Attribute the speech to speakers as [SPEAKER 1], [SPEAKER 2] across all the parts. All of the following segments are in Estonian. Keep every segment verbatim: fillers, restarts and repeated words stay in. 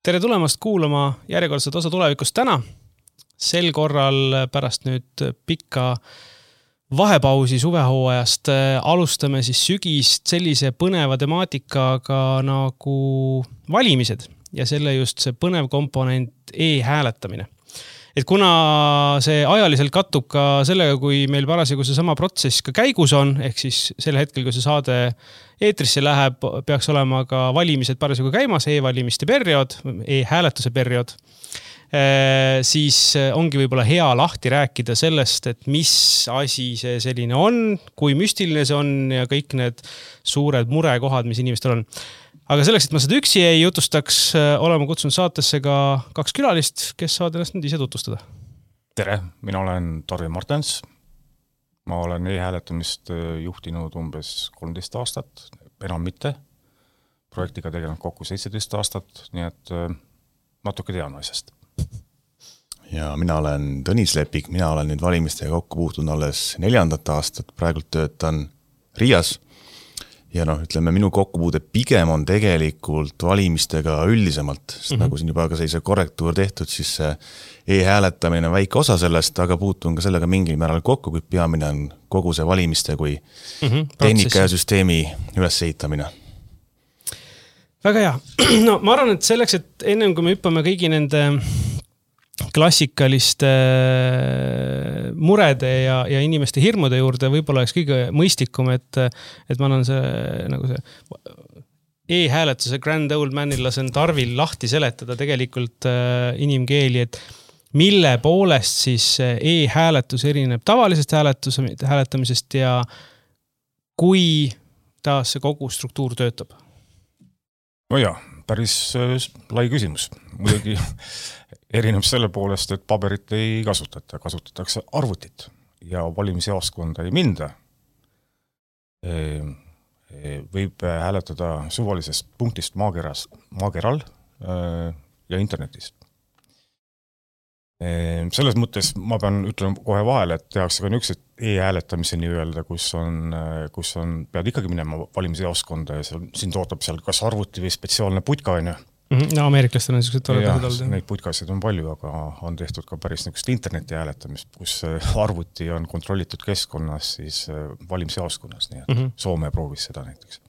[SPEAKER 1] Tere tulemast kuulama järjekordset osa tulevikust täna. Sel korral pärast nüüd pikka vahepausi suvehooajast alustame siis sügist sellise põneva temaatikaga nagu valimised ja selle just see põnev komponent e-hääletamine. Et kuna see ajaliselt kattub ka sellega, kui meil parasjagu see sama protsess ka käigus on, ehk siis sel hetkel, kui see saade eetrisse läheb, peaks olema ka valimised parasjagu käimas, e-valimiste periood, e-hääletuse periood, siis ongi võib-olla hea lahti rääkida sellest, et mis asi see selline on, kui müstiline see on ja kõik need suured murekohad, mis inimestel on. Aga selleks, et ma seda üksi ei jutustaks, olema kutsunud saatesse ka kaks külalist, kes saavad ennast nüüd ise tutvustada.
[SPEAKER 2] Tere, mina olen Tarvi Martens. Ma olen e-hääletamist juhtinud umbes kolmteist aastat, enam mitte. Projektiga tegelenud kokku seitseteist aastat, nii et natuke tean asjast.
[SPEAKER 3] Ja mina olen Tõnis Lepik, mina olen nüüd valimistega kokku puutunud alles neljandat aastat, praegult töötan Riias. Ja noh, ütleme, minu kokkupuude pigem on tegelikult valimistega üldisemalt, sest mm-hmm. nagu siin juba ka sellise korrektuur tehtud, siis e-hääletamine on väike osa sellest, aga puutun ka sellega mingil määral kokku, kui peamine on kogu see valimiste kui mm-hmm. tehnika ja süsteemi ülesehitamine.
[SPEAKER 1] Väga hea. No ma arvan, et selleks, et ennem kui me hüppame kõigi nende klassikaliste murede ja, ja inimeste hirmude juurde võib-olla oleks kõige mõistlikum, et, et ma annan see, nagu see e-hääletuse grand old manil lasen Tarvil lahti seletada tegelikult inimkeeli, et mille poolest siis e-hääletus erineb tavalisest hääletus, hääletamisest ja kui taas see kogu struktuur töötab?
[SPEAKER 2] No jah, päris lai küsimus. Muidugi erineb selle poolest, et paberit ei kasutata, kasutatakse arvutit ja valimisjaoskonda ei minda. Võib hääletada suvalisest punktist maakeras, maakeral ja internetis. Selles mõttes ma pean ütlema kohe vahele, et tehakse ka niisugused e-hääletamise nii öelda, kus on, kus on, pead ikkagi minema valimisjaoskonda ja seal, siin tootab seal kas arvuti või spetsiaalne putka on ju.
[SPEAKER 1] No ameeriklastel on niisugused toredad olnud.
[SPEAKER 2] Neid putkasid on palju, aga on tehtud ka päris niisugust interneti hääletamist, kus arvuti on kontrollitud keskkonnas siis valimisjaoskonnas, nii et mm-hmm. Soome proovis seda näiteks.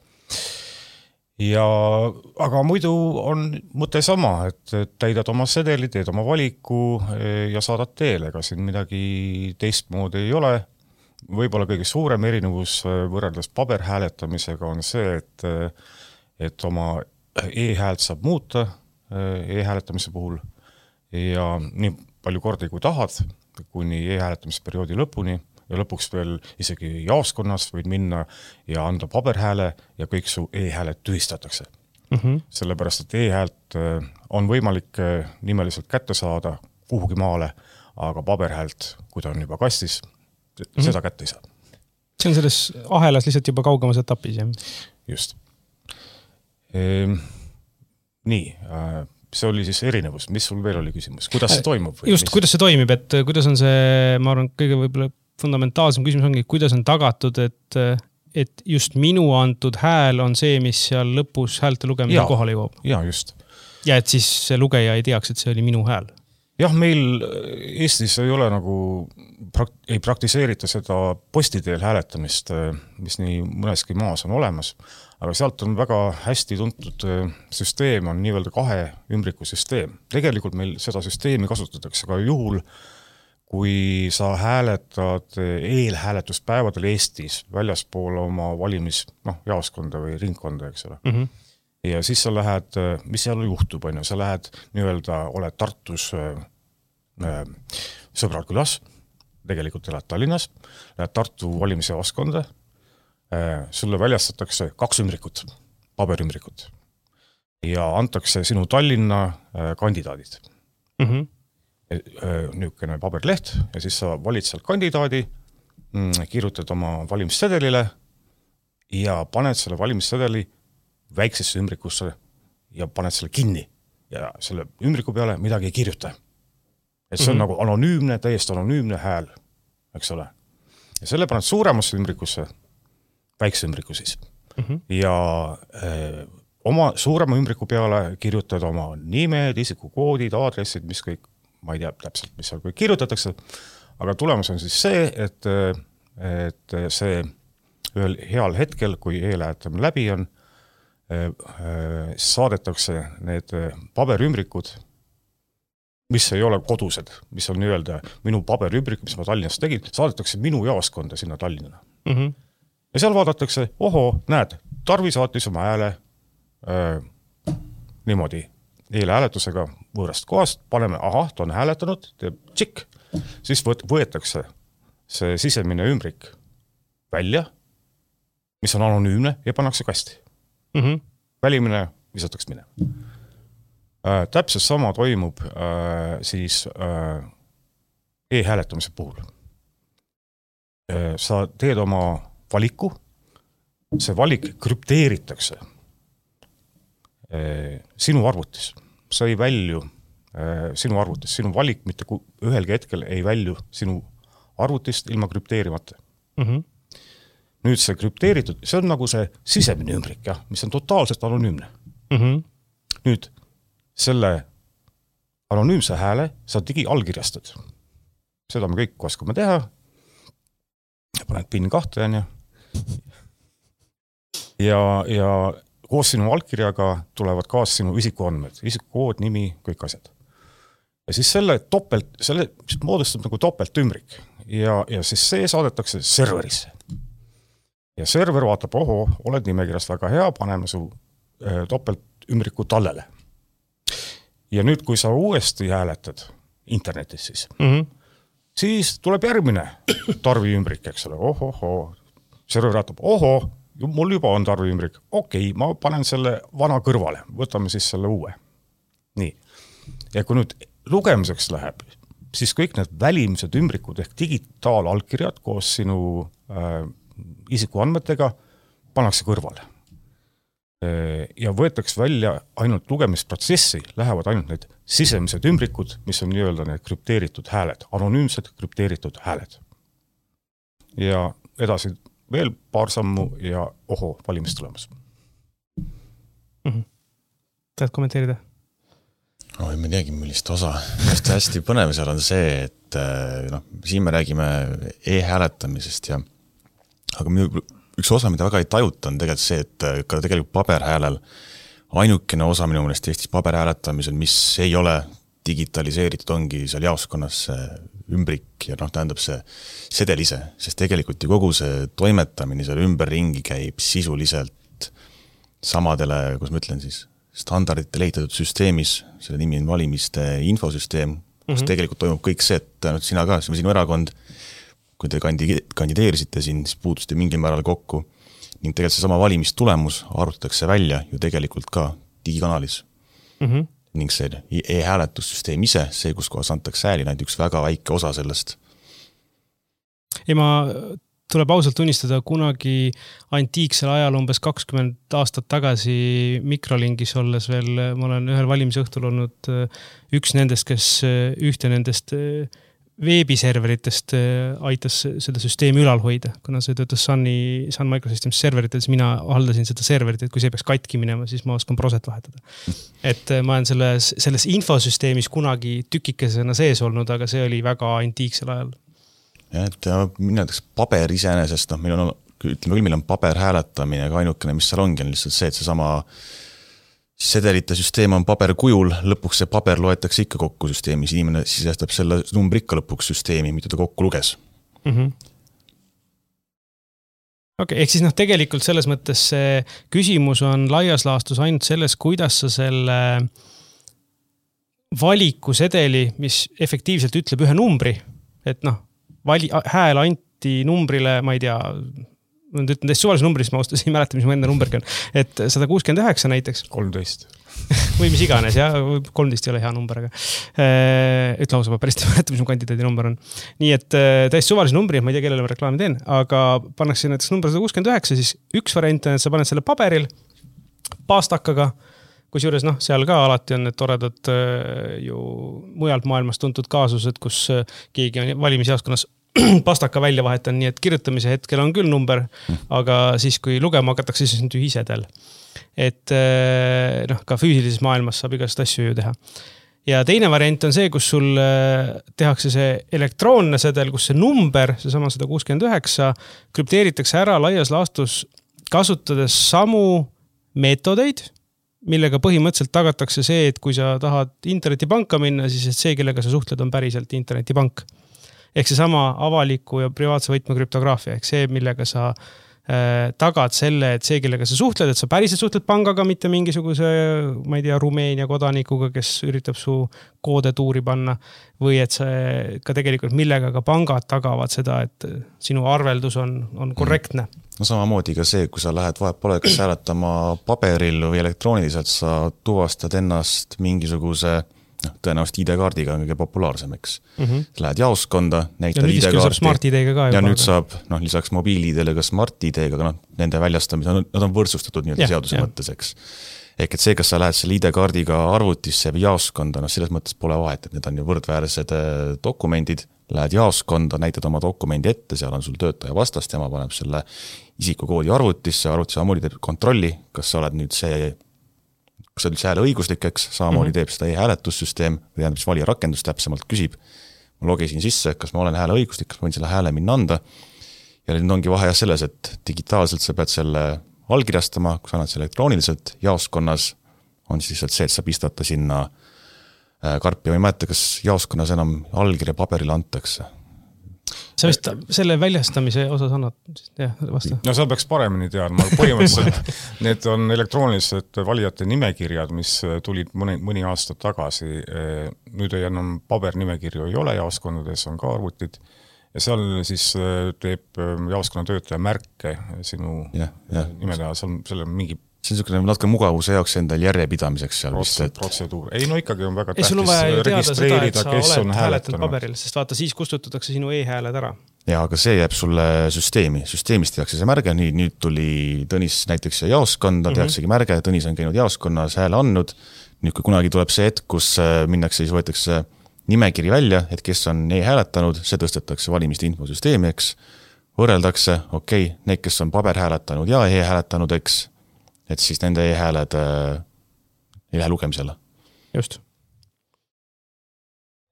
[SPEAKER 2] Ja, aga muidu on mõte sama, et täidad oma sedeli, teed oma valiku ja saadad teele, ega siin midagi teistmoodi ei ole. Võib-olla kõige suurem erinevus võrreldes paberhääletamisega on see, et, et oma e-häält saab muuta e-hääletamise puhul ja nii palju kordi kui tahad, kuni e-hääletamisperioodi lõpuni ja lõpuks veel isegi jaoskonnas võid minna ja anda paberhääle ja kõik su e-hääled tühistatakse. Mm-hmm. Sellepärast, et e-häält on võimalik nimeliselt kätte saada kuhugi maale, aga paberhäält, kui ta on juba kastis, mm-hmm. seda kätte ei saa.
[SPEAKER 1] See on selles ahelas lihtsalt juba kaugemas etapis, jah?
[SPEAKER 2] Just. Ehm, nii, see oli siis erinevus. Mis sul veel oli küsimus? Kuidas see toimub? Või
[SPEAKER 1] just, mis? Kuidas see toimib, et kuidas on see, ma arvan, kõige võib-olla fundamentaalsem küsimus ongi, kuidas on tagatud, et, et just minu antud hääl on see, mis seal lõpus häälte lugemisel kohale jõuab.
[SPEAKER 2] Ja, just.
[SPEAKER 1] Ja et siis see lugeja ei teaks, et see oli minu hääl.
[SPEAKER 2] Jah, meil Eestis ei ole nagu, ei praktiseerita seda postiteel hääletamist, mis nii mõneski maas on olemas, aga sealt on väga hästi tuntud süsteem, on nii-öelda kahe ümbriku süsteem. Tegelikult meil seda süsteemi kasutatakse ka juhul, kui sa hääletad eelhääletuspäevadel Eestis väljaspool oma valimis, noh, jaoskonda või ringkonda, eks ole. Mm-hmm. Ja siis sa lähed, mis seal juhtub, on ju, sa lähed nii-öelda, oled Tartus äh, sõbrad külas, tegelikult elad Tallinnas, lähed Tartu valimisjaoskonda, äh, sulle väljastatakse kaks ümbrikut, paberümbrikut ja antakse sinu Tallinna äh, kandidaadid. Mm-hmm. Niisugune paberleht ja siis sa valid seal kandidaadi, kirjutad oma valimissedelile ja paned selle valimissedeli väiksesse ümbrikusse ja paned selle kinni ja selle ümbriku peale midagi ei kirjuta. Et see on mm-hmm. nagu anonüümne, täiesti anonüümne hääl, eks ole. Ja selle paned suuremasse ümbrikusse, väikse ümbriku siis. Mm-hmm. Ja äh, oma suurema ümbriku peale kirjutad oma nimed, isikukoodid, aadressid, mis kõik, ma ei tea täpselt, mis seal kõik kirjutatakse, aga tulemus on siis see, et, et see ühel heal hetkel, kui e-lähetamine läbi on, saadetakse need paberümbrikud, mis ei ole kodused, mis on nii-öelda minu paberümbrik, mis ma Tallinnas tegin, saadetakse minu jaoskonda sinna Tallinnana. Mm-hmm. Ja seal vaadatakse, oho, näed, Tarvi saatis oma hääle äh, niimoodi eelhääletusega võõrast kohast, paneme, ahah, ta on hääletanud, teeb tšik, siis võt, võetakse see sisemine ümbrik välja, mis on anonüümne ja pannakse kasti. Mm-hmm. Välimine visatakse minema. Äh, täpselt sama toimub äh, siis äh, e-hääletamise puhul. Äh, sa teed oma valiku, see valik krüpteeritakse äh, sinu arvutis. Sa ei välju äh, sinu arvutis, sinu valik mitte ühelgi hetkel ei välju sinu arvutist ilma krüpteerimata. Mm-hmm. Nüüd see krüpteeritud, see on nagu see sisemine ümbrik, jah, mis on totaalselt anonüümne. Mm-hmm. Nüüd selle anonüümse hääle sa digi allkirjastad. Seda me kõik oskame teha. Paned pin kahte, ja, ja, ja koos sinu allkirjaga tulevad kaas sinu isikuandmed, isikukood, nimi, kõik asjad. Ja siis selle topelt, selle moodustab nagu topelt ümbrik ja, ja siis see saadetakse serverisse. Ja server vaatab, oho, oled nimekirjast väga hea, paneme su äh, topelt ümbriku tallele. Ja nüüd, kui sa uuesti hääletad internetis siis, mm-hmm. siis tuleb järgmine Tarvi ümbrik, eks ole, oho, oho, server vaatab, oho, mul juba on Tarvi ümbrik, okei, ma panen selle vana kõrvale, võtame siis selle uue. Nii. Ja kui nüüd lugemiseks läheb, siis kõik need välimised ümbrikud ehk digitaalalkirjad koos sinu äh, isikuandmetega pannakse kõrvale. Ja võetakse välja ainult lugemisprotsessi, lähevad ainult need sisemised ümbrikud, mis on nii-öelda need krüpteeritud hääled, anonüümsed krüpteeritud hääled. Ja edasi veel paar sammu ja oho, valimis tulemas.
[SPEAKER 1] Mm-hmm. Tahad kommenteerida?
[SPEAKER 3] No, ma teagi, millist osa. Just hästi põnev seal on see, et no, siin me räägime e-hääletamisest ja aga minu, üks osa, mida väga ei tajuta, on tegelikult see, et ka tegelikult paberhäälel ainukene osa minu mõnest Eestis paberhääletamisel, mis ei ole digitaliseeritud, ongi seal jaoskonnas ümbrik ja noh, tähendab see sedel ise, sest tegelikult ju kogu see toimetamine seal ümberringi käib sisuliselt samadele, kus ma ütlen siis, standardite leitatud süsteemis, selle nimi on valimiste infosüsteem, kus mm-hmm. tegelikult toimub kõik see, et no, sina ka, sinu erakond, kui te kandideerisite siin, siis puutuste mingil määral kokku ning tegelikult see sama valimistulemus arvutatakse välja ju tegelikult ka digikanalis. Mm-hmm. Ning see e-hääletussüsteem ise, see, kus kohas antakse hääli, näid üks väga väike osa sellest.
[SPEAKER 1] Ja ma tuleb ausalt tunnistada, kunagi antiiksel ajal umbes kakskümmend aastat tagasi mikrolingis olles veel, ma olen ühel valimisõhtul olnud üks nendest, kes ühte nendest veebiserveritest aitas seda süsteemi ülal hoida, kuna see töötas Sunny, Sun Microsystems serverites, mina haldasin seda serverit, et kui see peaks katki minema, siis ma oskan proset vahetada. Et ma olen selles, selles infosüsteemis kunagi tükikesena sees olnud, aga see oli väga antiiksel ajal.
[SPEAKER 3] Ja, et mina näiteks paber iseenesest, noh, meil on, ütleme küll, meil on paber hääletamine, aga ainukene, mis seal ongi, on lihtsalt see, et see sama sedelite süsteem on paberkujul, lõpuks see paber loetakse ikka kokku süsteemis, inimene sisestab selle numbri ikka lõpuks süsteemi, mida ta kokku luges. Mm-hmm.
[SPEAKER 1] Okay, ehk siis noh, tegelikult selles mõttes see küsimus on laias laastus ainult selles, kuidas sa selle valiku sedeli, mis efektiivselt ütleb ühe numbri, et noh, vali, hääl anti numbrile, ma ei tea, ma ütlen täiesti suvalise numbris, ma ostasin, ei mäleta, mis mu enda numbergi on, et sada kuuskümmend üheksa näiteks.
[SPEAKER 2] kolmteist.
[SPEAKER 1] või mis iganes, ja kolmteist ei ole hea number, aga ütle lausa, ma päris ei mäleta, mis mu kandidaadi number on. Nii et täiesti suvalise numbri, ma ei tea, kellele ma reklaami teen, aga pannakse näiteks number sada kuuskümmend üheksa, siis üks variant on, et sa paned selle paberil paastakaga, kus juures noh, seal ka alati on need toredad ju mujalt maailmas tuntud kaasused, kus keegi on valimisjaoskonnas pastaka välja vahetan, nii et kirjutamise hetkel on küll number, aga siis, kui lugema hakatakse, siis on tühisedel. Et noh, ka füüsilises maailmas saab igast asju ju teha. Ja teine variant on see, kus sul tehakse see elektroonne sedel, kus see number, see sama sada kuuskümmend üheksa, krüpteeritakse ära laias laastus kasutades samu meetodeid, millega põhimõtteliselt tagatakse see, et kui sa tahad internetipanka minna, siis et see, kellega sa suhtled, on päriselt internetipank. Ehk see sama avaliku ja privaatse võtme krüptograafia, ehk see, millega sa äh, tagad selle, et see, kellega sa suhtled, et sa päriselt suhtled pangaga, mitte mingisuguse, ma ei tea, Rumeenia kodanikuga, kes üritab su koode tuuri panna, või et see ka tegelikult millega ka pangad tagavad seda, et sinu arveldus on, on korrektne.
[SPEAKER 3] No samamoodi ka see, kui sa lähed vahet pole, kas hääletama paberil või elektrooniliselt, sa tuvastad ennast mingisuguse no, tõenäoliselt I D-kaardiga on kõige populaarsem, eks. Mm -hmm. Lähed jaoskonda, näitad I D-kaardi.
[SPEAKER 1] Smart I D-ga ka.
[SPEAKER 3] Ja nüüd saab, noh, lisaks mobiil-I D-le ka Smart I D-ga, aga noh, nende väljastamise, nad on võrdsustatud nii-öelda seaduse ja. Mõttes, eks. Ehk et see, kas sa lähed selle I D-kaardiga arvutisse või jaoskonda, noh, selles mõttes pole vahet, et need on ju võrdväärsed dokumendid, lähed jaoskonda, näitad oma dokumendi ette, seal on sul töötaja vastast, tema paneb selle isikukoodi arvutisse, arvutis samamoodi teeb kontrolli, kas sa oled nüüd see kas sa oled üldse hääle õiguslik, eks, samamoodi teeb seda e-hääletussüsteem, või tähendab, mis valija rakendus täpsemalt küsib. Ma logisin sisse, kas ma olen hääle õiguslik, kas ma võin selle hääle minna anda. Ja nüüd ongi vahe selles, et digitaalselt sa pead selle allkirjastama, kui sa annad selle elektrooniliselt, jaoskonnas on siis lihtsalt see, et sa pistata sinna karpi. Ma ei mäleta, kas jaoskonnas enam allkirja paberile antakse.
[SPEAKER 1] Sa vist selle väljastamise osas annad jah, vasta?
[SPEAKER 2] No seal peaks paremini teadma, aga põhimõtteliselt need on elektroonilised valijate nimekirjad, mis tulid mõni, mõni aastat tagasi. Nüüd ei enam pabernimekirju ei ole, jaoskondades on ka arvutid ja seal siis teeb jaoskonna töötaja märke sinu ja, ja. nimele, seal, seal on mingi
[SPEAKER 3] see on niisugune natuke mugavuse jaoks endal järjepidamiseks seal
[SPEAKER 2] vist, et
[SPEAKER 3] protseduur.
[SPEAKER 2] Ei, no ikkagi on väga
[SPEAKER 1] tähtis
[SPEAKER 2] registreerida, kes on hääletanud.
[SPEAKER 1] Paberil, sest vaata, siis kustutatakse sinu e-hääled ära.
[SPEAKER 3] Ja, aga see jääb sulle süsteemi. Süsteemist tehakse see märge, nii, nüüd tuli Tõnis näiteks jaoskonda, tehaksegi märge, Tõnis on käinud jaoskonnas hääle andnud. Nüüd, kui kunagi tuleb see hetk, kus minnakse, siis võetakse nimekiri välja, et kes on e-hääletanud, see tõstetakse valimiste infosüsteemi, eks. Võrreldakse, okei, okay, need, kes on paber hääletanud ja e-hääletanud, eks, et siis nende e-hääled äh, ei lähe lugemisele.
[SPEAKER 1] Just.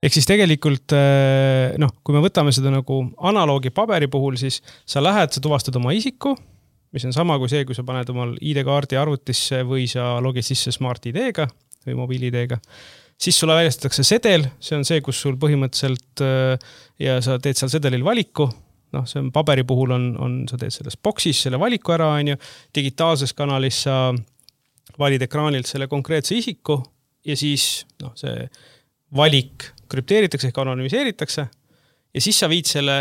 [SPEAKER 1] Ehk siis tegelikult, äh, noh, kui me võtame seda nagu analoogi paberi puhul, siis sa lähed, sa tuvastad oma isiku, mis on sama kui see, kui sa paned omal I D-kaardi arvutisse või sa logid sisse Smart I D-ga või mobiil-I D-ga. Siis sulle väljastatakse sedel, see on see, kus sul põhimõtteliselt äh, ja sa teed seal sedelil valiku, noh, see on paberi puhul on, on, sa teed selles boksis selle valiku ära, on ju, digitaalses kanalis sa valid ekraanilt selle konkreetse isiku ja siis, noh, see valik krüpteeritakse ehk anonüümiseeritakse ja siis sa viid selle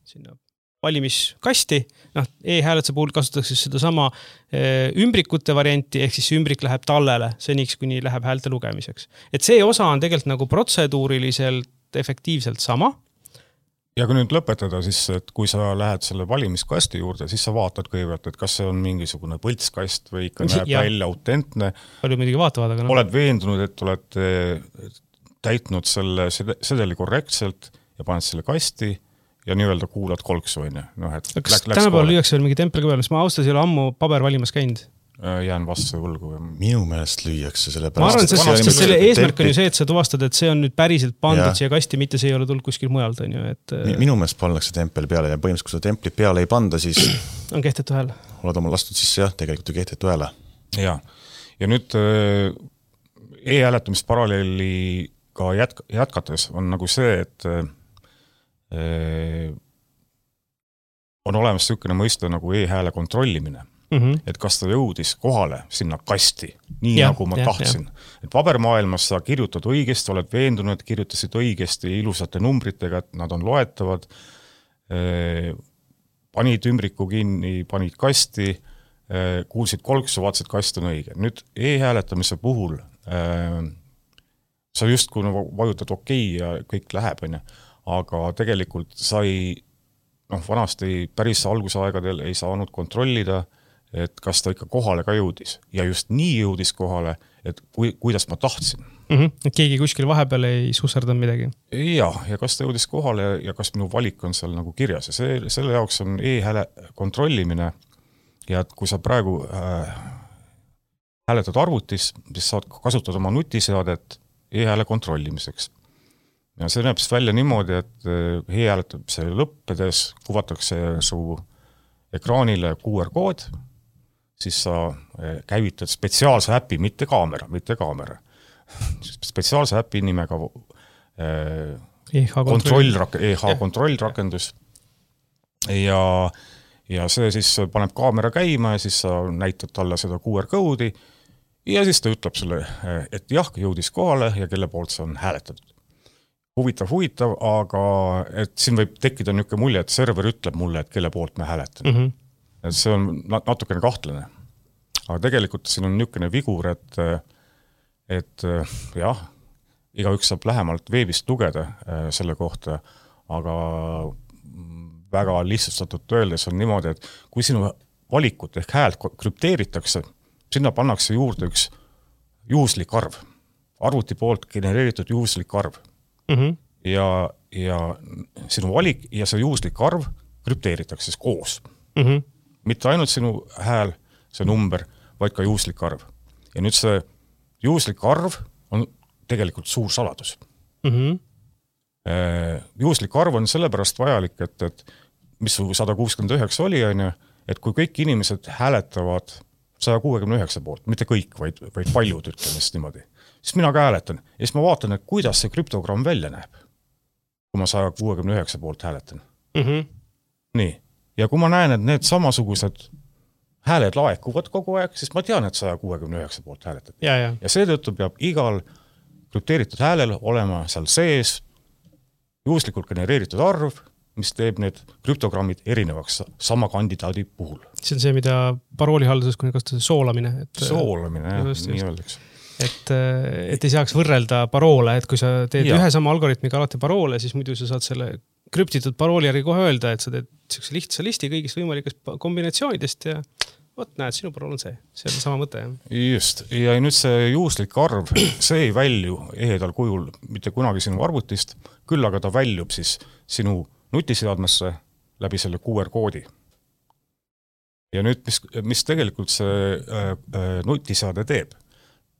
[SPEAKER 1] sinna valimiskasti, noh, e-hääletuse puhul kasutatakse seda sama ümbrikute varianti, ehk siis ümbrik läheb tallele, seniks kuni läheb häälte lugemiseks. Et see osa on tegelikult nagu protseduuriliselt efektiivselt sama.
[SPEAKER 2] Ja kui nüüd lõpetada, siis et kui sa lähed selle valimiskasti juurde, siis sa vaatad kõigepealt, et kas see on mingisugune põltskast või ikka näeb ja. välja autentne.
[SPEAKER 1] Palju midagi vaatavad, aga
[SPEAKER 2] no. Oled veendunud, et oled täitnud selle sedeli korrektselt ja paned selle kasti ja nii-öelda kuulad kolksu, on ju. No, et
[SPEAKER 1] kas tänapäeval lüüakse veel mingi tempel ka peal, sest ma austas ei ole ammu paber valimas käinud.
[SPEAKER 2] Jään vastu võlgu.
[SPEAKER 3] Minu meelest lüüakse selle
[SPEAKER 1] pärast. Ma arvan, sest, sest selle eesmärk on ju see, et sa tuvastad, et see on nüüd päriselt pandud siia kasti, mitte see ei ole tulnud kuskil mujalt. On ju, et...
[SPEAKER 3] Minu meelest pannakse tempel peale ja põhimõtteliselt, kui sa templit peale ei panda, siis
[SPEAKER 1] on kehtetu hääl.
[SPEAKER 3] Oled oma lastud sisse, jah, tegelikult ju kehtetu hääle.
[SPEAKER 2] Ja, ja nüüd e-hääletamist paralleeli ka jätk- jätkates on nagu see, et e on olemas niisugune mõiste nagu e-hääle kontrollimine. Mm-hmm. Et kas ta jõudis kohale sinna kasti, nii ja, nagu ma ja, tahtsin. Ja. Et pabermaailmas sa kirjutad õigesti, oled veendunud, et kirjutasid õigesti ilusate numbritega, et nad on loetavad, e, panid ümbriku kinni, panid kasti, e, kuulsid kolksu, vaatasid, kast on õige. Nüüd e-hääletamise puhul e, sa just kui vajutad okei ja kõik läheb, on ju, aga tegelikult sa ei, noh, vanasti päris algusaegadel ei saanud kontrollida, et kas ta ikka kohale ka jõudis ja just nii jõudis kohale, et kui, kuidas ma tahtsin.
[SPEAKER 1] Mm-hmm. Et keegi kuskil vahepeal ei susserdanud midagi.
[SPEAKER 2] Ja, ja kas ta jõudis kohale ja kas minu valik on seal nagu kirjas ja see, selle jaoks on e-hääle kontrollimine ja et kui sa praegu äh, hääletad arvutis, siis saad kasutada oma nutiseadet e-hääle kontrollimiseks. Ja see näeb välja niimoodi, et e-hääletab lõppedes, kuvatakse su ekraanile Q R kood, siis sa käivitad spetsiaalse äpi, mitte kaamera, mitte kaamera. Spetsiaalse äpi nimega e-h-kontrollrakendus ja, ja see siis paneb kaamera käima ja siis sa näitad talle seda Q R koodi ja siis ta ütleb sulle, et jah, jõudis kohale ja kelle poolt see on hääletatud. Huvitav, huvitav, aga et siin võib tekkida niisugune mulje, et server ütleb mulle, et kelle poolt me hääletan. Mm-hmm. Et see on natukene kahtlane. Aga tegelikult siin on niisugune vigur, et, et jah, igaüks saab lähemalt veebist lugeda selle kohta, aga väga lihtsustatud öeldes on niimoodi, et kui sinu valikut ehk häält krüpteeritakse, sinna pannakse juurde üks juhuslik arv. Arvuti poolt genereeritud juhuslik arv. Mm-hmm. Ja, ja sinu valik ja see juhuslik arv krüpteeritakse koos. Mm-hmm. Mitte ainult sinu hääl, see number, vaid ka juhuslik arv. Ja nüüd see juhuslik arv on tegelikult suur saladus. Mm-hmm. Juhuslik arv on sellepärast vajalik, et, et mis su sada kuuskümmend üheksa oli, on ju, et kui kõik inimesed hääletavad sada kuuskümmend üheksa poolt, mitte kõik, vaid, vaid paljud ütlemist niimoodi, siis mina ka hääletan ja siis ma vaatan, et kuidas see krüptogramm välja näeb, kui ma sada kuuskümmend üheksa poolt hääletan. Mm-hmm. Nii. Ja kui ma näen, et need samasugused hääled laekuvad kogu aeg, siis ma tean, et sada kuuskümmend üheksa poolt hääletad.
[SPEAKER 1] Ja, ja.
[SPEAKER 2] ja seetõttu peab igal krüpteeritud häälel olema seal sees juhuslikult genereeritud arv, mis teeb need krüptogrammid erinevaks sama kandidaadi puhul.
[SPEAKER 1] See on see, mida paroolihalduses kuni kasutada soolamine. Et,
[SPEAKER 2] soolamine, jah, just, nii öeldaks.
[SPEAKER 1] Et, et ei saaks võrrelda paroole, et kui sa teed ja. ühe sama algoritmiga alati paroole, siis muidu sa saad selle krüptitud parooli järgi kohe öelda, et sa teed sellise lihtsa listi kõigist võimalikest kombinatsioonidest ja võt, näed, sinu parool on see. See on sama mõte. Jah.
[SPEAKER 2] Just. Ja nüüd see juhuslik arv, see ei välju ehedal kujul mitte kunagi sinu arvutist, küll aga ta väljub siis sinu nutiseadmesse läbi selle Q R koodi. Ja nüüd, mis, mis tegelikult see äh, nutiseade teeb?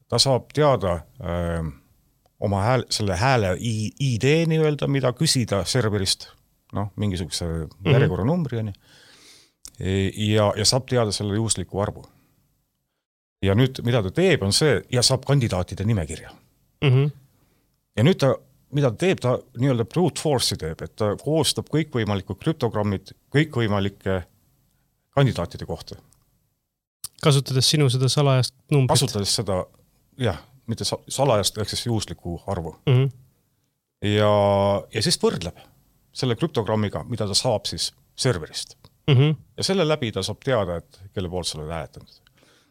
[SPEAKER 2] Ta saab teada äh, oma hääl, selle hääle I D nii-öelda, mida küsida serverist, noh, mingisuguse mm-hmm. järjekorra numbri on, ja, ja saab teada selle juhusliku arvu. Ja nüüd, mida ta teeb, on see, ja saab kandidaatide nimekirja. Mm-hmm. Ja nüüd ta, mida ta teeb, ta nii-öelda brute force'i teeb, et ta koostab kõikvõimalikud krüptogrammid kõikvõimalike kandidaatide kohta.
[SPEAKER 1] Kasutades sinu seda salajast numbrit?
[SPEAKER 2] Kasutades seda, jah, mitte salajast, ehk siis juhusliku arvu. Mm-hmm. Ja, ja siis võrdleb selle krüptogrammiga, mida ta saab siis serverist. Mm-hmm. Ja selle läbi ta saab teada, et kelle poolt sa oled hääletanud.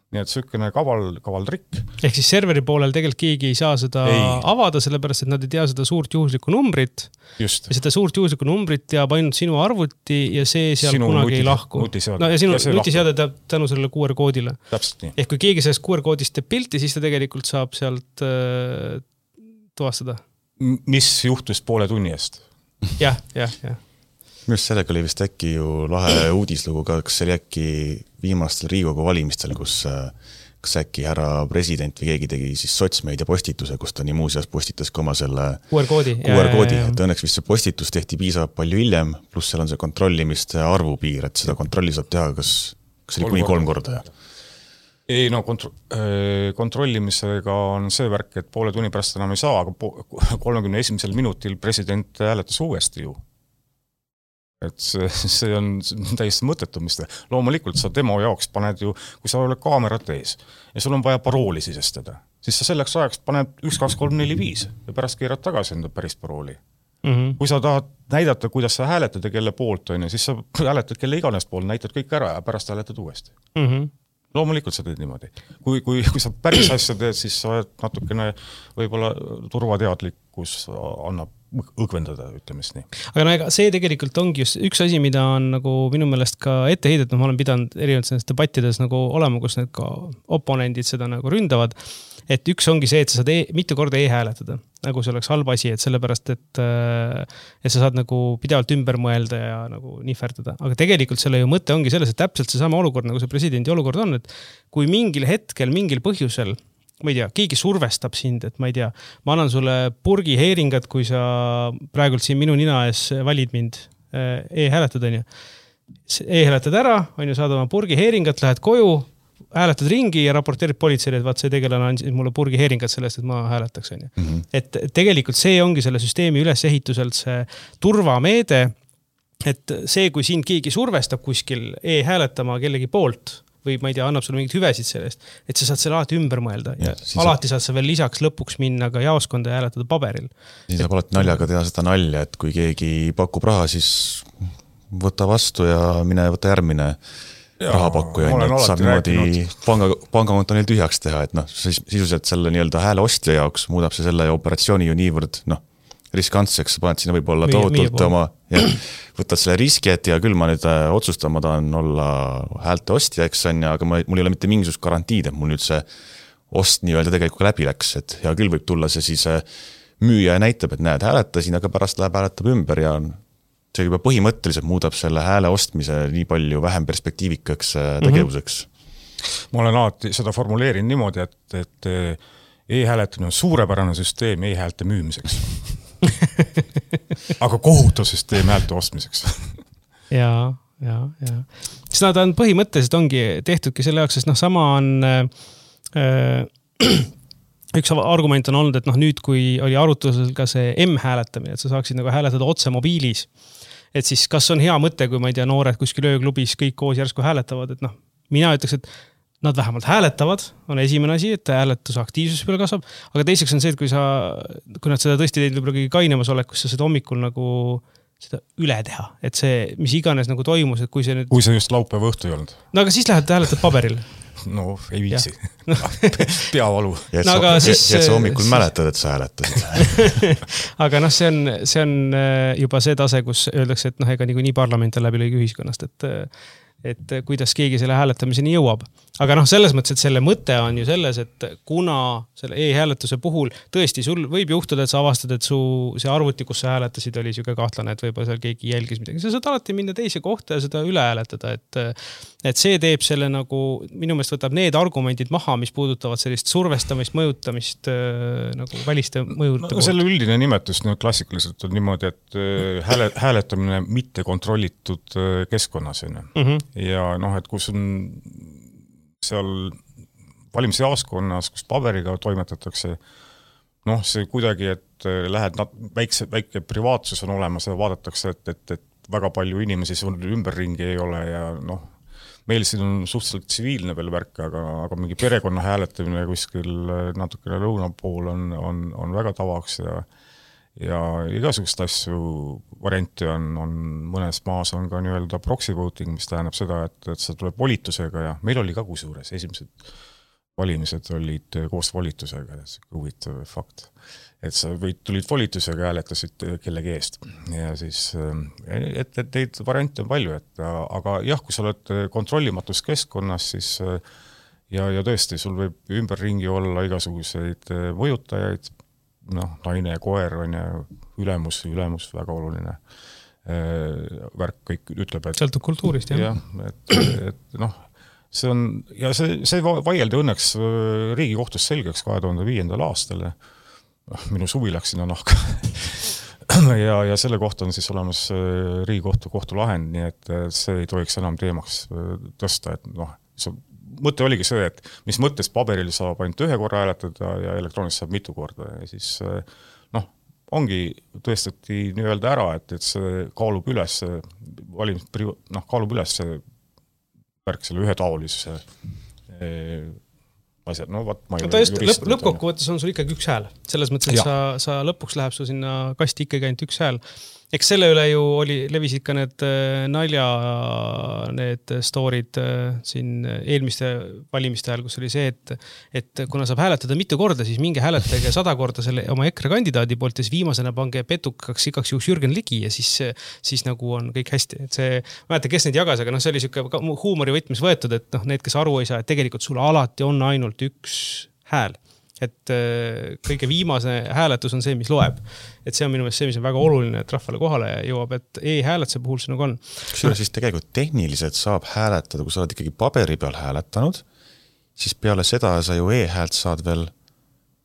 [SPEAKER 2] Nii et sükene kaval, kaval trikk.
[SPEAKER 1] Ehk siis serveri poolel tegelikult keegi ei saa seda ei. avada, sellepärast, et nad ei tea seda suurt juhuslikku numbrit.
[SPEAKER 2] Just.
[SPEAKER 1] Ja seda suurt juhuslikku numbrit teab ainult sinu arvuti ja see seal sinu kunagi nuti, ei lahku.
[SPEAKER 2] Nutiseade.
[SPEAKER 1] No, ja sinu ja nutiseade teab tänu sellele Q R koodile.
[SPEAKER 2] Täpselt nii.
[SPEAKER 1] Ehk kui keegi sellest Q R koodist teeb pilti, siis ta tegelikult saab sealt äh, tuvastada.
[SPEAKER 2] Mis juhtus poole tunni eest?
[SPEAKER 1] jah, jah, jah.
[SPEAKER 3] Just sellega oli vist äkki ju lahe uudislugu ka, kas see oli äkki viimastel Riigikogu valimistel, kus kas äkki härra president või keegi tegi siis sotsmeedia postituse, kus ta nii muuseas postitas ka oma selle
[SPEAKER 1] Q R koodi.
[SPEAKER 3] Q R koodi, et õnneks vist see postitus tehti piisavalt palju hiljem, pluss seal on see kontrollimiste arvupiir, et seda kontrolli saab teha, kas, kas oli kuni kolm korda.
[SPEAKER 2] Ei, no kontro- kontrollimisega on see värk, et poole tunni pärast enam ei saa, aga kolmekümne esimesel minutil president hääletas uuesti ju. Et see, see on täiesti mõttetumist. Loomulikult sa demo jaoks paned ju, kui sa oled kaamerat ees ja sul on vaja parooli sisestada, siis sa selleks ajaks paned üks, kaks, kolm, neli, viis ja pärast keerad tagasi enda päris parooli. Mm-hmm. Kui sa tahad näidata, kuidas sa hääletad ja kelle poolt on, siis sa hääletad kelle iganes pool, näitad kõik ära ja pärast hääletad uuesti. Mm-hmm. Loomulikult sa teed niimoodi. Kui, kui, kui sa päris asja teed, siis sa natukene võib-olla turvateadlikkus annab õgvendada, ütleme siis nii.
[SPEAKER 1] Aga no ega see tegelikult ongi just üks asi, mida on nagu minu meelest ka ette heidet, no ma olen pidanud erinevates debattides nagu olema, kus need ka oponendid seda nagu ründavad, et üks ongi see, et sa saad e mitu korda e-hääletada, nagu see oleks halb asi, et sellepärast, et, et sa saad nagu pidevalt ümber mõelda ja nagu nihverdada. Aga tegelikult selle ju mõte ongi selles, et täpselt see sama olukord, nagu see presidendi olukord on, et kui mingil hetkel, mingil põhjusel ma ei tea, keegi survestab sind, et ma ei tea, ma annan sulle purgi heeringat, kui sa praegult siin minu nina ees valid mind e-hääletad, on ju. E-hääletad ära, on ju, saad oma purgi heeringat, lähed koju, hääletad ringi ja raporteerid politseile, et vaat see tegelane andis mulle purgi heeringat sellest, et ma hääletaks, on ju. Mm-hmm. Et tegelikult see ongi selle süsteemi ülesehituselt see turvameede, et see, kui sind keegi survestab kuskil e-hääletama kellegi poolt, või ma ei tea, annab sulle mingid hüvesid sellest, et sa saad selle alati ümber mõelda. Ja alati saad sa veel lisaks lõpuks minna ka jaoskonda ja hääletada paberil.
[SPEAKER 3] Siis saab alati naljaga teha seda nalja, et kui keegi pakub raha, siis võta vastu ja mine võta järgmine ja, rahapakkuja. Saab niimoodi panga, pangakonto neil tühjaks teha, et noh, sisuliselt selle nii-öelda hääle ostja jaoks muudab see selle operatsiooni ju niivõrd, noh, riskantseks, sa paned sinna võib-olla tohutult oma, ja, võtad selle riski, et ja küll ma nüüd otsustama tahan olla häälte ostja, eks on, ja, aga ma, mul ei ole mitte mingisugust garantiid, et mul nüüd see ost nii-öelda tegelikult läbi läks, et hea küll võib tulla see siis müüja ja näitab, et näed, hääletasin, aga pärast läheb hääletab ümber ja see juba põhimõtteliselt muudab selle hääle ostmise nii palju vähem perspektiivikaks tegevuseks.
[SPEAKER 2] Mm-hmm. Ma olen alati seda formuleerin niimoodi, et, et e-hääletamine on suurepärane süsteem e-häälte müümiseks. aga kohutav süsteem häälte ostmiseks.
[SPEAKER 1] ja, ja, ja. Siis nad on põhimõtteliselt ongi tehtudki selle jaoks, sest noh, sama on äh, üks argument on olnud, et noh, nüüd kui oli arutusel ka see M-hääletamine, et sa saaksid nagu hääletada otse mobiilis, et siis kas on hea mõte, kui ma ei tea, noored kuskil ööklubis kõik koos järsku hääletavad, et noh, mina ütleks, et nad vähemalt hääletavad, on esimene asi, et hääletuse aktiivsus peale kasvab, aga teiseks on see, et kui sa, kui nad seda tõesti teid võib-olla kõige kainemas olekus, sa seda hommikul nagu seda üle teha, et see, mis iganes nagu toimus, et kui see nüüd...
[SPEAKER 2] Kui see just laupäeva õhtu ei olnud.
[SPEAKER 1] No aga siis lähed hääletad paberil.
[SPEAKER 2] No, ei viisi. Peavalu.
[SPEAKER 3] Ja et, no, sa, siis, ja et sa hommikul siis... mäletad, et sa hääletasid.
[SPEAKER 1] aga noh, see on, see on juba see tase, kus öeldakse, et noh, ega nii, nii parlament on läbi lõigi ühiskonnast, et et kuidas keegi selle hääletamiseni jõuab. Aga noh, selles mõttes, et selle mõte on ju selles, et kuna selle e-hääletuse puhul tõesti sul võib juhtuda, et sa avastad, et su see arvuti, kus sa hääletasid, oli siuke kahtlane, et võib-olla seal keegi jälgis midagi. Sa saad alati minna teise kohta ja seda üle hääletada, et, et see teeb selle nagu, minu meelest võtab need argumendid maha, mis puudutavad sellist survestamist, mõjutamist nagu väliste mõjuta.
[SPEAKER 2] No, selle üldine nimetus no, klassikaliselt on niimoodi, et hääle, hääletamine mitte kontrollitud keskkonnas. Mm-hmm. Ja noh, et kus on seal valimisjaoskonnas, kus paberiga toimetatakse, noh, see kuidagi, et lähed, väikse, väike privaatsus on olemas ja vaadatakse, et, et, et väga palju inimesi sul ümberringi ei ole ja noh, meil siin on suhteliselt tsiviilne veel värk, aga, aga mingi perekonna hääletamine kuskil natukene lõuna pool on, on, on väga tavaks ja ja igasugust asju varianti on, on mõnes maas on ka nii-öelda proxy voting, mis tähendab seda, et, et see tuleb volitusega ja meil oli ka kusjuures esimesed valimised olid koos volitusega, see huvitav fakt. Et sa võid, tulid volitusega hääletasid kellegi eest ja siis, et, et neid variante on palju, et aga jah, kui sa oled kontrollimatus keskkonnas, siis ja, ja tõesti, sul võib ümberringi olla igasuguseid mõjutajaid, noh, naine ja koer on ja ülemus, ülemus väga oluline värk kõik ütleb, et...
[SPEAKER 1] Sõltub kultuurist, jah.
[SPEAKER 2] jah et, et noh, see on, ja see, see vaieldi õnneks Riigikohtus selgeks kahe tuhande viiendal aastal. Minu suvi läks sinna nahka. ja, ja selle kohta on siis olemas Riigikohtu kohtulahend, nii et see ei tohiks enam teemaks tõsta, et noh, see mõte oligi see, et mis mõttes paberil saab ainult ühe korra hääletada ja elektrooniliselt saab mitu korda ja siis noh, ongi tõestati nii-öelda ära, et, et see kaalub üles valimis, noh, kaalub üles see värk selle ühetaolisuse asjad, no vaat ma ei
[SPEAKER 1] no, ta just lõpp, lõppkokkuvõttes on sul ikkagi üks hääl. Selles mõttes, et sa, sa lõpuks läheb su sinna kasti ikkagi ainult üks hääl. eks selle üle ju oli, levisid ka need nalja, need storid siin eelmiste valimiste ajal, kus oli see, et, et kuna saab hääletada mitu korda, siis minge hääletage sada korda selle oma EKRE kandidaadi poolt ja siis viimasena pange petukaks igaks juhuks Jürgen Ligi ja siis, siis nagu on kõik hästi. Et see, ma mäletan, kes neid jagas, aga noh, see oli siuke huumori võtmis võetud, et noh, need, kes aru ei saa, et tegelikult sul alati on ainult üks hääl. Et kõige viimase hääletus on see, mis loeb. Et see on minu meelest see, mis on väga oluline, et rahvale kohale jõuab, et e-hääletuse puhul see nagu on.
[SPEAKER 3] Kusjuures siis tegelikult tehniliselt saab hääletada, kui sa oled ikkagi paberi peal hääletanud, siis peale seda sa ju e-häält saad veel,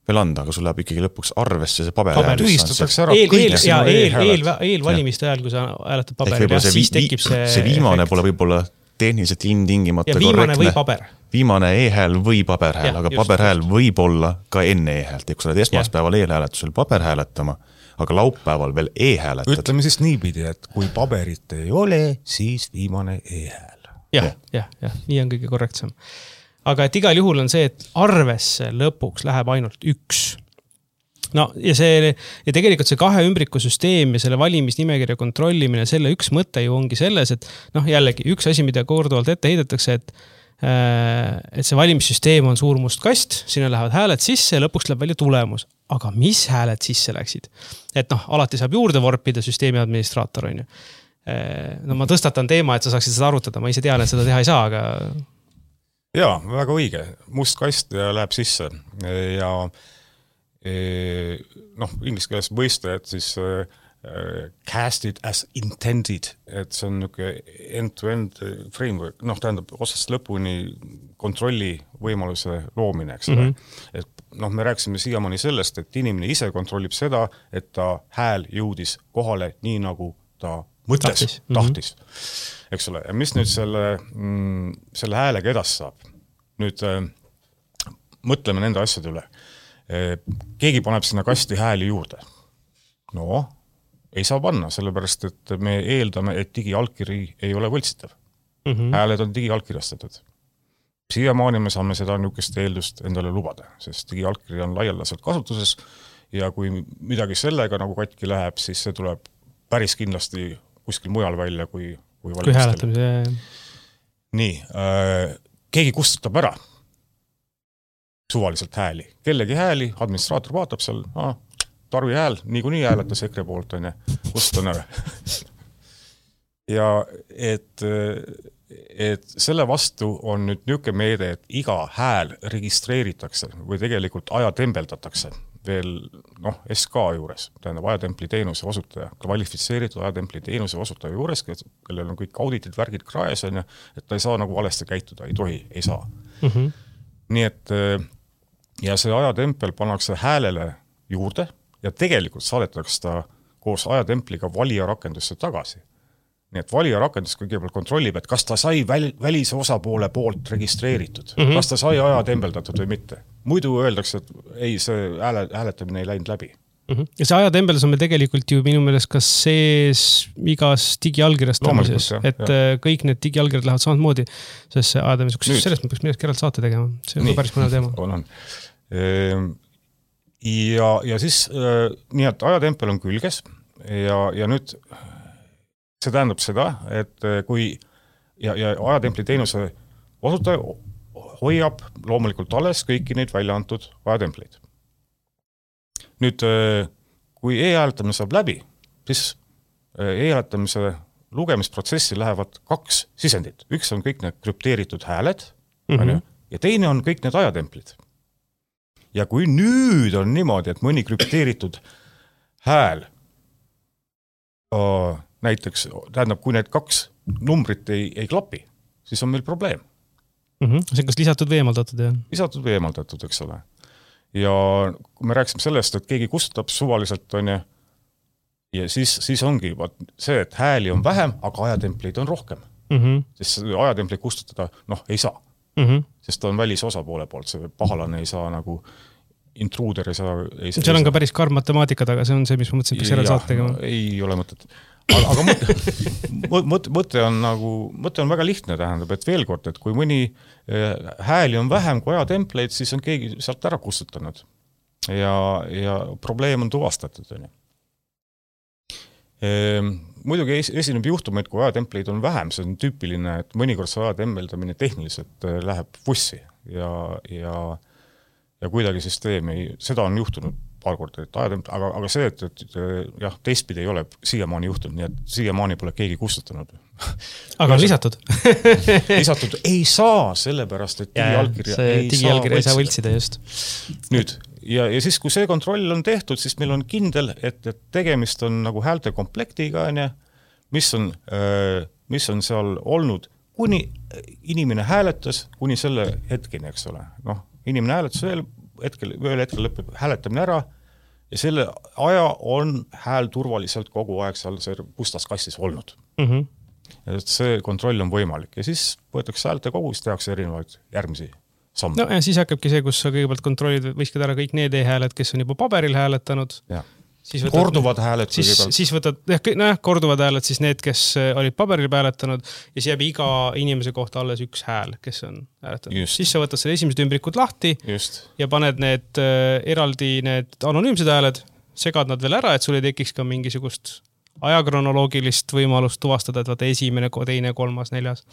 [SPEAKER 3] veel anda, aga sul läheb ikkagi lõpuks arvesse see paber.
[SPEAKER 2] Paber tühistatakse ära
[SPEAKER 1] eel, eel, ja eel, eel, eel valimiste ajal, kui sa hääletad paberi peal, siis tekib see
[SPEAKER 3] see viimane efekt. Pole võib-olla tehniliselt ilmtingimata
[SPEAKER 1] ja viimane korrektne. Või paber.
[SPEAKER 3] Viimane e-hääl või paberhääl, aga paberhääl võib olla ka enne e-häält. Kui sa oled esmaspäeval e-hääletusel paber hääletama, aga laupäeval veel e-hääletad.
[SPEAKER 2] Ütleme siis niipidi, et kui paberit ei ole, siis viimane e-hääl.
[SPEAKER 1] Jah, jah, jah, nii on kõige korrektsem. Aga et igal juhul on see, et arvesse lõpuks läheb ainult üks. No ja see, ja tegelikult see kahe ümbriku süsteem ja selle valimisnimekirja kontrollimine, selle üks mõte ju ongi selles, et noh, jällegi üks asi, mida korduvalt ette heidetakse, et et see valimissüsteem on suur must kast, sinna lähevad hääled sisse ja lõpuks läheb välja tulemus. Aga mis hääled sisse läksid? Et noh, alati saab juurde vorpida süsteemi administraator, on ju. No ma tõstatan teema, et sa saaksid seda arutada, ma ise tean, et seda teha ei saa, aga...
[SPEAKER 2] Jaa, väga õige. Must kast ja läheb sisse ja noh, inglise keeles mõiste, et siis cast it as intended, et see on niisugune end-to-end framework, noh, tähendab otsast lõpuni kontrolli võimaluse loomine, eks ole. Mm-hmm. Et noh, me rääksime siiamaani sellest, et inimene ise kontrollib seda, et ta hääl jõudis kohale nii, nagu ta mõtles, tahtis, tahtis mm-hmm. eks ole. Ja mis nüüd selle, mm, selle häälega edas saab? Nüüd äh, mõtleme nende asjade üle. E, keegi paneb sinna kasti hääli juurde. No, ei saa panna, sellepärast, et me eeldame, et digialkiri ei ole võltsitav. Mm-hmm. Hääled on digialkirjastatud. Siiamaani me saame seda niisugust eeldust endale lubada, sest digialkiri on laialdaselt kasutuses ja kui midagi sellega nagu katki läheb, siis see tuleb päris kindlasti kuskil mujal välja kui, kui
[SPEAKER 1] kui hääletamise.
[SPEAKER 2] Nii, äh, keegi kustutab ära suvaliselt hääli. Kellegi hääli, administraator vaatab seal, ah, Tarvi hääl, niikuinii hääletas EKRE poolt, on ja kustutan ära. ja et, et selle vastu on nüüd niisugune meede, et iga hääl registreeritakse või tegelikult ajatembldatakse veel noh, S K juures, tähendab ajatempli teenuse osutaja, kvalifitseeritud ajatempli teenuse osutaja juures, kellel on kõik auditid, värgid kraes, on ja, et ta ei saa nagu valesti käituda, ei tohi, ei saa. Mm-hmm. Nii et ja see ajatempel pannakse häälele juurde ja tegelikult saadetakse ta koos ajatempliga valija rakendusse tagasi. Nii et valija rakendus kõigepealt kontrollib, et kas ta sai väl, välise osapoole poolt registreeritud, mm-hmm. kas ta sai aja tembeldatud või mitte. Muidu öeldakse, et ei, see hääle, hääletamine ei läinud läbi.
[SPEAKER 1] Mm-hmm. Ja see ajatembeldas on meil tegelikult ju minu meelest kas sees igas digialgirjastamises, et jah. Kõik need digialgirjad lähevad samamoodi, sest see ajatembeldas, sellest me peaks midagi keralt saate tegema. See on nii, päris mõne teema.
[SPEAKER 2] On, on. Ja, ja siis nii, et ajatempel on külges ja, ja nüüd see tähendab seda, et kui ja, ja ajatempli teenuse osutaja hoiab loomulikult alles kõiki neid välja antud ajatempleid. Nüüd, kui e-hääletamine saab läbi, siis e-hääletamise lugemisprotsessi lähevad kaks sisendit. Üks on kõik need krüpteeritud hääled mm-hmm. ja teine on kõik need ajatemplid. Ja kui nüüd on niimoodi, et mõni krüpteeritud hääl uh, näiteks, tähendab, kui need kaks numbrit ei, ei klapi, siis on meil probleem.
[SPEAKER 1] Mm-hmm. See on kas lisatud või eemaldatud? Ja?
[SPEAKER 2] Lisatud või eemaldatud, eks ole. Ja kui me rääksime sellest, et keegi kustutab suvaliselt, on ja, ja siis, siis ongi vaat, see, et hääli on vähem, aga ajatempleid on rohkem. Mm-hmm. Sest ajatempleid kustutada, noh, ei saa. Mm-hmm. Sest ta on välis osapoole poolt, see pahalane ei saa nagu intruuder ei saa... Ei,
[SPEAKER 1] seal on ka päris karm matemaatika taga, see on see, mis ma mõtlesin, peaks järel saat tegema.
[SPEAKER 2] Ei ole mõtet. Aga, aga mõte, mõte, mõte on nagu, mõte on väga lihtne, tähendab, et veel kord, et kui mõni hääli on vähem kui ajatempleid, siis on keegi sealt ära kustutanud. Ja, ja probleem on tuvastatud. Muidugi esineb juhtumeid, kui ajatempleid on vähem, see on tüüpiline, et mõnikord see ajatemmeldamine tehniliselt läheb vussi ja, ja, ja kuidagi süsteemi, seda on juhtunud paar korda, et ajatemp, aga, aga see, et, et jah, teistpidi ei ole siiamaani juhtunud, nii et siiamaani pole keegi kustutanud.
[SPEAKER 1] Aga on lisatud?
[SPEAKER 2] lisatud ei saa, sellepärast, et digiallkirja ei,
[SPEAKER 1] ei saa võltsida just.
[SPEAKER 2] Nüüd, ja, ja siis, kui see kontroll on tehtud, siis meil on kindel, et, et tegemist on nagu häälte komplektiga, mis on, mis on seal olnud, kuni inimene hääletas, kuni selle hetkeni, eks ole. Noh, inimene hääletas veel hetkel, veel hetkel lõpeb hääletamine ära ja selle aja on hääl turvaliselt kogu aeg seal see pustas kastis olnud.
[SPEAKER 1] Mm-hmm.
[SPEAKER 2] Ja see kontroll on võimalik ja siis võetakse häälte kogu, siis tehakse erinevaid järgmisi samme.
[SPEAKER 1] No ja siis hakkabki see, kus sa kõigepealt kontrollid, võiskad ära kõik need e-hääled, kes on juba paberil hääletanud.
[SPEAKER 2] Ja.
[SPEAKER 1] Siis võtad,
[SPEAKER 2] korduvad hääled.
[SPEAKER 1] Siis, siis võtad, no jah, korduvad hääled, siis need, kes olid paberil hääletanud ja siis jääb iga inimese kohta alles üks hääl, kes on hääletanud. Just. Siis sa võtad selle esimesed ümbrikud lahti
[SPEAKER 2] Just.
[SPEAKER 1] ja paned need äh, eraldi need anonüümsed hääled, segad nad veel ära, et sul ei tekiks ka mingisugust ajakronoloogilist võimalust tuvastada, et vaata esimene, teine, kolmas, neljas.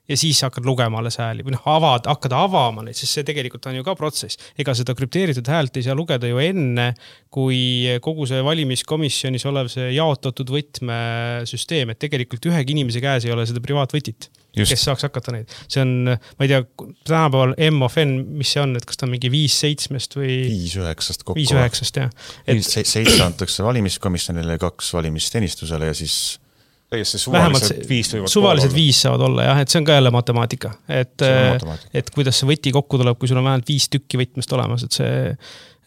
[SPEAKER 1] Ja siis hakkad lugema alles hääli või noh, avad, hakkad avama neid, sest see tegelikult on ju ka protsess. Ega seda krüpteeritud häält ei saa lugeda ju enne, kui kogu see valimiskomisjonis olev see jaotatud võtmesüsteem, et tegelikult ühegi inimese käes ei ole seda privaatvõtit, Just. kes saaks hakata neid. See on, ma ei tea, tänapäeval M of N, mis see on, et kas ta on mingi viis seitsmest või...
[SPEAKER 3] Viis üheksast kokku.
[SPEAKER 1] Viis üheksast, jah.
[SPEAKER 3] Et... Seitse antakse valimiskomisjonile ja kaks valimisteenistusele ja siis...
[SPEAKER 2] Suvalised viis,
[SPEAKER 1] suvalised viis saavad olla, jah, et see on ka jälle matemaatika. Et, matemaatika. et kuidas see võti kokku tuleb, kui sul on vähemalt viis tükki võtmest olemas, et see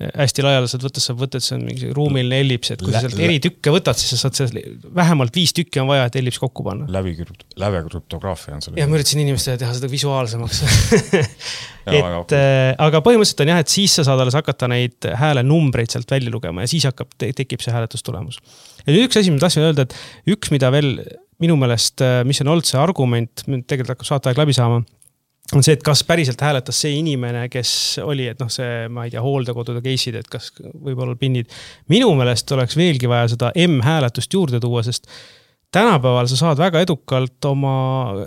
[SPEAKER 1] hästi laialiselt võttes saab võtta, et see on mingi ruumiline ellips, et kui sa sealt eri tükke võtad, siis sa saad see, vähemalt viis tükki on vaja, et ellips kokku panna.
[SPEAKER 2] Läbi läve krüptograafia on selle.
[SPEAKER 1] Ja ma üritasin inimestele teha seda visuaalsemaks. et, aga põhimõtteliselt on jah, et siis sa saad alles hakata neid hääle numbreid sealt välja lugema ja siis hakkab, tekib see hääletustulemus. Ja üks asi, ma tahtsin öelda, et üks, mida veel minu meelest, mis on olnud see argument, tegelikult hakkab saate aeg läbi saama, on see, et kas päriselt hääletas see inimene, kes oli, et noh, see, ma ei tea, hooldekodude case'id, et kas võib-olla pinnid. Minu meelest oleks veelgi vaja seda M-hääletust juurde tuua, sest tänapäeval sa saad väga edukalt oma,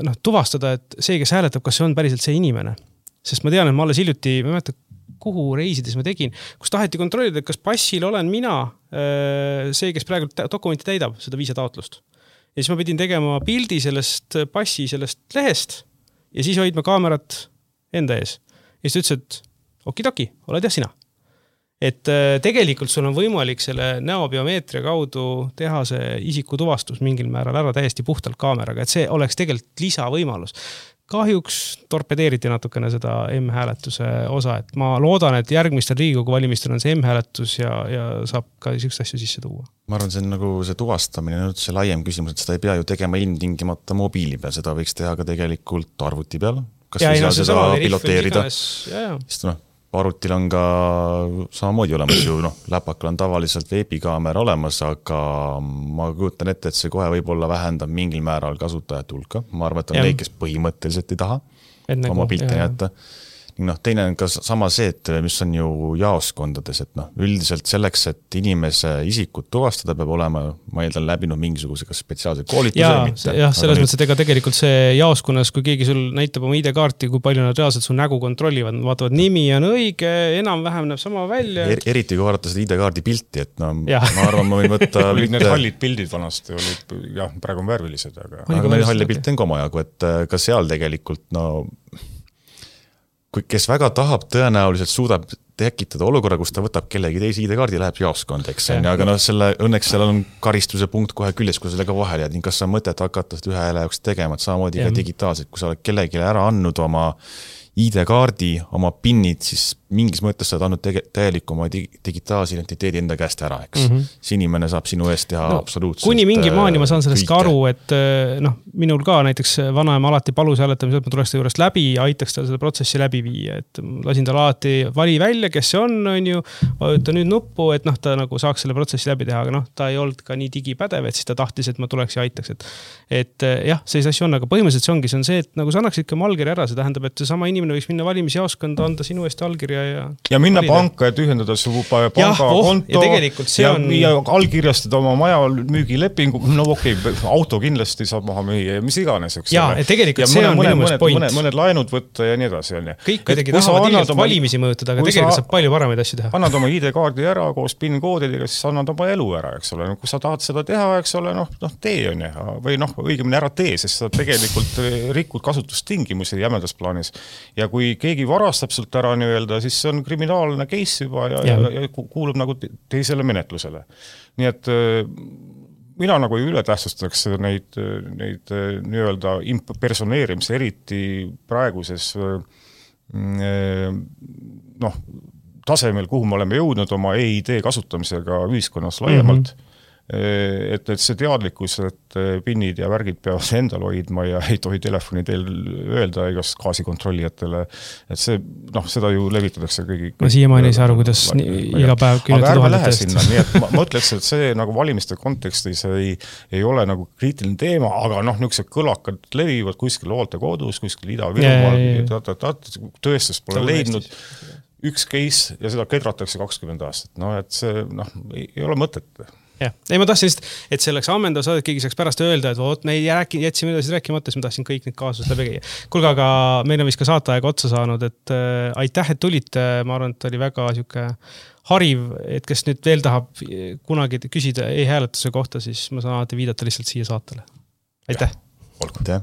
[SPEAKER 1] noh, tuvastada, et see, kes hääletab, kas see on päriselt see inimene. Sest ma tean, et ma alles hiljuti, ma ei mäleta, kuhu reisides ma tegin, kus taheti kontrollida, et kas passil olen mina see, kes praegu dokumenti täidab, seda viisataotlust. Ja siis ma pidin tegema pildi sellest passi, sellest lehest ja siis hoidma kaamerat enda ees. Ja siis ütles, et okidoki, oled jah sina. Et tegelikult sul on võimalik selle näobiomeetria kaudu teha see isiku tuvastus mingil määral ära täiesti puhtalt kaameraga, et see oleks tegelikult lisavõimalus. Kahjuks torpedeeriti natukene seda M-hääletuse osa, et ma loodan, et järgmistel Riigikogu valimistel on see M-hääletus ja, ja saab ka sihukest asju sisse tuua.
[SPEAKER 3] Ma arvan, see on nagu see tuvastamine, see laiem küsimus, et seda ei pea ju tegema ilmtingimata mobiili peal, seda võiks teha ka tegelikult arvuti peal, kas ja, ei saa seda piloteerida, sest noh, arvutil on ka samamoodi olemas ju, noh, läpakal on tavaliselt veebikaamera olemas, aga ma kujutan ette, et see kohe võib-olla vähendab mingil määral kasutajate hulka. Ma arvan, et on neid, kes põhimõtteliselt ei taha Enne oma pilte jätta. Noh, teine on ka sama see, et mis on ju jaoskondades, et noh, üldiselt selleks, et inimese isikut tuvastada peab olema, ma eeldan läbinud mingisuguse kas spetsiaalse koolituse
[SPEAKER 1] ja,
[SPEAKER 3] või mitte.
[SPEAKER 1] Jah, selles mõttes, et ega tegelikult see jaoskonnas, kui keegi sul näitab oma I D-kaarti, kui palju nad reaalselt su nägu kontrollivad, nad vaatavad, nimi on õige, enam-vähem näeb sama välja.
[SPEAKER 3] Er, eriti kui vaadata seda I D-kaardi pilti, et no, ja. ma arvan, ma võin võtta...
[SPEAKER 2] olid need hallid pildid vanasti, olid, jah, praegu on värvilised, aga...
[SPEAKER 3] aga meil halli pilt on ka omajagu, et ka seal tegelikult, no... kui kes väga tahab, tõenäoliselt suudab tekitada olukorra, kus ta võtab kellegi teise I D-kaardi ja läheb jaoskond, eks on, aga no selle, õnneks seal on karistuse punkt kohe küljes, kui sellega vahel jääd, nii kas sa mõtet hakata seda ühe hääle jaoks tegema, et samamoodi ka digitaalselt, kui sa oled kellelegi ära andnud oma I D-kaardi, oma pinnid, siis mingis mõttes sa oled andnud tege, täielik oma digitaalse identiteedi enda käest ära, eks. Mm -hmm. See inimene saab sinu eest teha no, absoluutselt.
[SPEAKER 1] Kuni mingi maani ma saan sellest ka aru, et noh, minul ka näiteks vanaema alati palus hääletamisel, et ma tuleks ta juurest läbi ja aitaks tal seda protsessi läbi viia, et lasin tal alati vali välja, kes see on, on ju, vajuta nüüd nuppu, et noh, ta nagu saaks selle protsessi läbi teha, aga noh, ta ei olnud ka nii digipädev, et siis ta tahtis, et ma tuleks ja aitaks, et, et jah, sellise asju on, aga põhimõtteliselt see ongi, see on see, et nagu sa annaksid ka allkirja ära, see tähendab, et see sama inimene võiks minna valimisjaoskonda, anda sinu eest allkirja ja
[SPEAKER 2] ja minna
[SPEAKER 1] valida.
[SPEAKER 2] panka, et ühendada su pangakonto
[SPEAKER 1] ja, oh, ja, tegelikult see
[SPEAKER 2] ja,
[SPEAKER 1] on...
[SPEAKER 2] ja allkirjastada oma maja müügilepingu, no okei, okay, auto kindlasti saab maha müüa ja mis iganes, eks
[SPEAKER 1] ja,
[SPEAKER 2] ole.
[SPEAKER 1] Ja tegelikult
[SPEAKER 2] ja
[SPEAKER 1] see
[SPEAKER 2] mõne,
[SPEAKER 1] on minu mõnes point.
[SPEAKER 2] Mõned, mõned laenud võtta ja nii edasi. On,
[SPEAKER 1] kõik kuidagi tahavad ilgelt oma... valimisi mõjutada, aga tegelikult saab palju paremaid asju teha.
[SPEAKER 2] Annad oma I D-kaardi ära koos PIN-koodidega, siis annad oma elu ära, eks ole. No, kui sa tahad seda teha, eks ole, noh, noh tee on ja, või noh, õigemini ära tee, sest sa tegelikult rikud kasutustingimusi jämedas plaanis. Ja kui keegi varastab sult ära nii-öelda, siis see on kriminaalne case juba ja, ja. ja kuulub nagu teisele menetlusele. Nii et mina nagu ei ületähtsustaks neid, neid nii-öelda impersoneerimise eriti praeguses noh, tasemel, kuhu me oleme jõudnud oma E I D kasutamisega ühiskonnas laiemalt. Mm-hmm. Et, et see teadlikkus, et pinnid ja värgid peavad endal hoidma ja ei tohi telefoni teel öelda igas gaasikontrollijatele, et see, noh, seda ju levitatakse kõigi.
[SPEAKER 1] Ma siiamaani ei saa aru, kuidas nii, iga päev kümnete tuhandetest.
[SPEAKER 2] Sinna, nii et ma, ma ütleks, et see nagu valimiste kontekstis ei, ei ole nagu kriitiline teema, aga noh, niisugused kõlakad levivad kuskil hooltekodus, kuskil Ida-Virumaal, tõestus pole leidnud üks case ja seda kedratakse kakskümmend aastat. No, et see, noh, ei, ei ole mõtet.
[SPEAKER 1] Ja. Ei, ma tahtsin lihtsalt, et see oleks ammendav saada, et keegi saaks pärast öelda, et oot, me ei rääki, jätsime edasi rääkimata, siis ma tahtsin kõik need kaasused läbi käia. Kulga, aga meil on vist ka saateaega otsa saanud, et äh, aitäh, et tulite. Ma arvan, et oli väga siuke hariv, et kes nüüd veel tahab kunagi küsida e-hääletuse kohta, siis ma saan alati viidata lihtsalt siia saatele. Aitäh!
[SPEAKER 3] Olgu, aitäh!